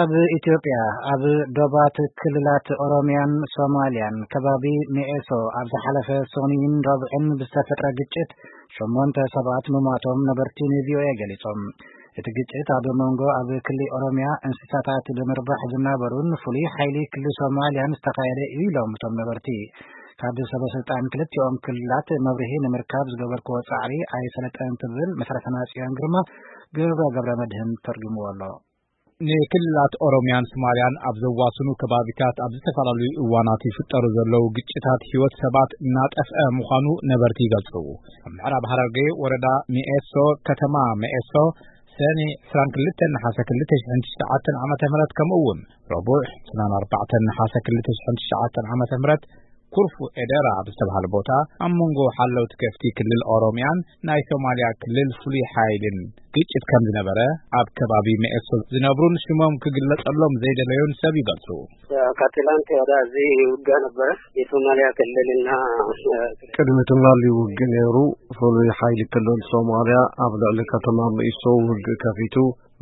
ኣብ ኢትዮጵያ ኣብ ዶባት ክልላት ኦሮሚያን ሶማሊያን ከባቢ ሚኤሶ ኣብ ዝሓለፈ ሶኒን ረብዕን ብዝተፈጥረ ግጭት ሸሞንተ ሰባት ምሟቶም ነበርቲ ንቪኦኤ ገሊጾም። እቲ ግጭት ኣብ መንጎ ኣብ ክሊ ኦሮሚያ እንስሳታት ብምርባሕ ዝናበሩን ፍሉይ ሓይሊ ክሊ ሶማሊያን ዝተኻየደ እዩ ኢሎም እቶም ነበርቲ። ካብ ሰበ ስልጣን ክልቲኦም ክልላት መብርሂ ንምርካብ ዝገበርክዎ ጻዕሪ ኣይሰለጠን ትብል መሰረትና ጽዮን ግርማ ግብረ ገብረ መድህን ተርጉምዎ ኣሎ። ንክልላት ኦሮሚያን ሶማሊያን ኣብ ዘዋስኑ ከባቢታት ኣብ ዝተፈላለዩ እዋናት ይፍጠሩ ዘለዉ ግጭታት ህይወት ሰባት እናጠፍአ ምዃኑ ነበርቲ ይገልጹ። ኣብ ምዕራብ ሃረርጌ ወረዳ ሚኤሶ፣ ከተማ ሚኤሶ፣ ሰኒ ዕስራን ክልተን ነሓሰ ክልተ ሽሕን ትሽዓተን ዓመተ ምህረት፣ ከምኡ እውን ረቡዕ ዕስራን ኣርባዕተን ነሓሰ ክልተ ሽሕን ትሽዓተን ዓመተ ምህረት፣ ኩርፉ ኤደራ ኣብ ዝተባህለ ቦታ ኣብ መንጎ ሓለውቲ ከፍቲ ክልል ኦሮሚያን ናይ ሶማሊያ ክልል ፍሉይ ሓይልን ግጭት ከም ዝነበረ ኣብ ከባቢ መኤሶ ዝነብሩን ሽሞም ክግለጸሎም ዘይደለዩን ሰብ ይገልጹ። ከትላንት ወደ እዚህ ውጋ ነበረ። የሶማሊያ ክልልና ቅድሚ ትማሊ ውግ ነይሩ። ፍሉይ ሓይሊ ክልል ሶማሊያ ኣብ ልዕሊ ከተማ መኢሶ ውግ ከፊቱ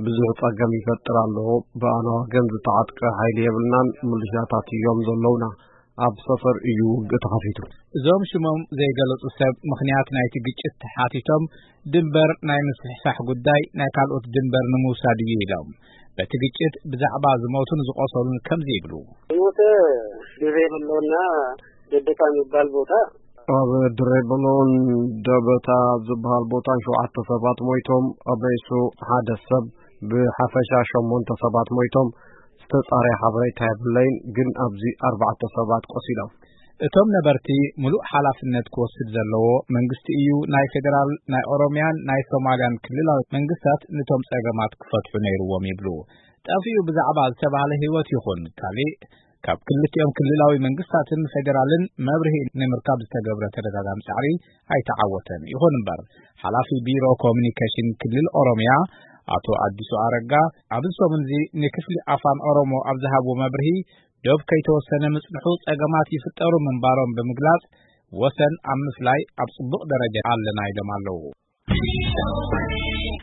ብዙሕ ጸገም ይፈጥር ኣሎ። ብኣና ወገን ዝተዓጥቀ ሓይሊ የብልናን፣ ምልሻታት እዮም ዘለውና። ኣብ ሰፈር እዩ ውግ ተኸፊቱ። እዞም ሽሞም ዘይገለጹ ሰብ ምኽንያት ናይቲ ግጭት ተሓቲቶም ድንበር ናይ ምስሕሳሕ ጉዳይ ናይ ካልኦት ድንበር ንምውሳድ እዩ ኢሎም። በቲ ግጭት ብዛዕባ ዝሞቱን ዝቆሰሉን ከምዚ ይብሉ። ሞተ ድሬ ብሎና ደደታ የሚባል ቦታ ኣብ ድሬ ብሎን ደበታ ዝበሃል ቦታ ሸውዓተ ሰባት ሞይቶም፣ ኣብ ርእሱ ሓደ ሰብ፣ ብሓፈሻ ሸሞንተ ሰባት ሞይቶም። ዝተጻረየ ሓበሬታ የብለይን፣ ግን ኣብዚ ኣርባዕተ ሰባት ቆሲሎም። እቶም ነበርቲ፣ ምሉእ ሓላፍነት ክወስድ ዘለዎ መንግስቲ እዩ። ናይ ፌደራል፣ ናይ ኦሮሚያን ናይ ሶማሊያን ክልላዊ መንግስታት ነቶም ጸገማት ክፈትሑ ነይርዎም ይብሉ። ጠፊኡ ብዛዕባ ዝተባህለ ህይወት ይኹን ካሊእ ካብ ክልቲኦም ክልላዊ መንግስታትን ፌደራልን መብርሂ ንምርካብ ዝተገብረ ተደጋጋሚ ጻዕሪ ኣይተዓወተን። ይኹን እምበር፣ ሓላፊ ቢሮ ኮሙኒኬሽን ክልል ኦሮሚያ ኣቶ ኣዲሱ ኣረጋ ኣብዚ ሰሙን እዚ ንክፍሊ ኣፋን ኦሮሞ ኣብ ዝሃብዎ መብርሂ፣ ዶብ ከይተወሰነ ምጽንሑ ጸገማት ይፍጠሩ ምንባሮም ብምግላጽ፣ ወሰን ኣብ ምፍላይ ኣብ ጽቡቕ ደረጃ ኣለና ኢሎም ኣለዉ።